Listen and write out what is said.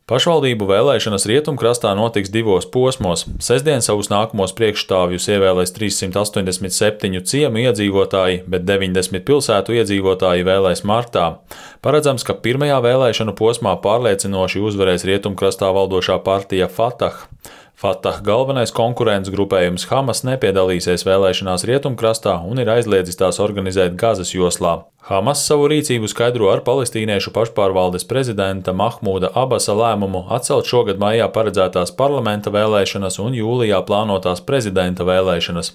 Pašvaldību vēlēšanas Rietumkrastā notiks divos posmos. Sestdien savus nākamos priekšstāvjus ievēlēs 387 ciemu iedzīvotāji, bet 90 pilsētu iedzīvotāji vēlēs martā. Paredzams, ka pirmajā vēlēšanu posmā pārliecinoši uzvarēs Rietumkrastā valdošā partija Fatah. Fatah galvenais konkurents grupējums Hamas nepiedalīsies vēlēšanās Rietumkrastā un ir aizliedzis tās organizēt Gazas joslā. Hamas savu rīcību skaidro ar palestīniešu pašpārvaldes prezidenta Mahmūda Abasa lēmumu atcelt šogad maijā paredzētās parlamenta vēlēšanas un jūlijā plānotās prezidenta vēlēšanas.